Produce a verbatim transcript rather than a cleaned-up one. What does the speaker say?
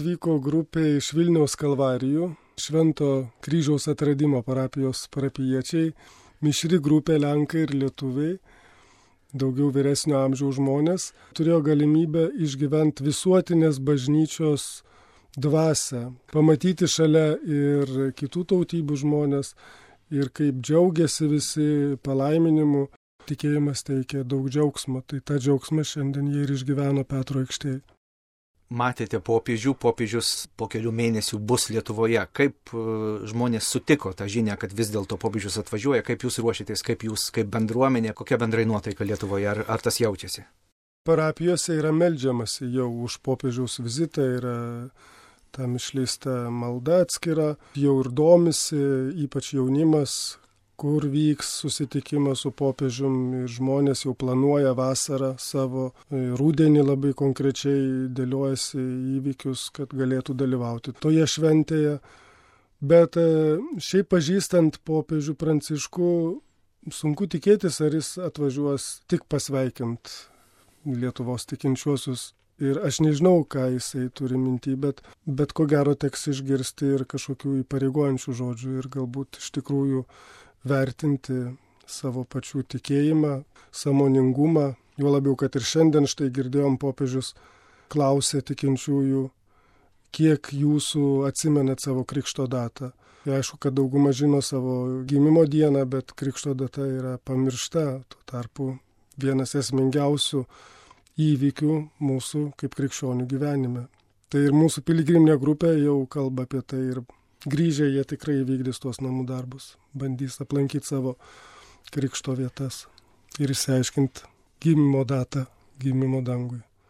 atvyko grupė iš Vilniaus Kalvarijų, Švento Kryžiaus atradimo parapijos parapijiečiai, mišri grupė lenkai ir lietuviai, daugiau vyresnio amžiaus žmonės, turėjo galimybę išgyventi visuotinės bažnyčios dvasią, pamatyti šalia ir kitų tautybių žmonės ir kaip džiaugiasi visi palaiminimu. Tikėjimas teikia daug džiaugsmo, tai tą džiaugsmą šiandien jie ir išgyveno Petro aikštėje. Matėte popiežių, popiežius po kelių mėnesių bus Lietuvoje. Kaip žmonės sutiko tą žinią, kad vis dėlto popiežius atvažiuoja, kaip jūs ruošitės, kaip jūs, kaip bendruomenė, kokia bendrai nuotaika Lietuvoje, ar, ar tas jaučiasi? Parapijose yra meldžiamasi jau už popiežiaus vizitą, yra tam išleista malda atskira, jau ir domisi, ypač jaunimas, kur vyks susitikimas su popiežium ir žmonės jau planuoja vasarą savo, rudenį labai konkrečiai dėliojasi įvykius, kad galėtų dalyvauti toje šventėje. Bet šiaip pažįstant popiežių Pranciškų, sunku tikėtis, ar jis atvažiuos tik pasveikint Lietuvos tikinčiuosius. Ir aš nežinau, ką jisai turi minty, bet, bet ko gero teks išgirsti ir kažkokių įpareigojančių žodžių ir galbūt iš tikrųjų vertinti savo pačių tikėjimą, sąmoningumą, juo labiau, kad ir šiandien štai girdėjom popiežius klausė tikinčiųjų, kiek jūsų atsimenat savo krikšto datą. Ir aišku, kad dauguma žino savo gimimo dieną, bet krikšto data yra pamiršta, tuo tarpu vienas esmingiausių įvykių mūsų kaip krikščionių gyvenime. Tai ir mūsų piligriminė grupė jau kalba apie tai ir grįžę jie tikrai vykdys tuos namų darbus, bandys aplankyti savo krikšto vietas ir išsiaiškinti gimimo datą, gimimo dangui.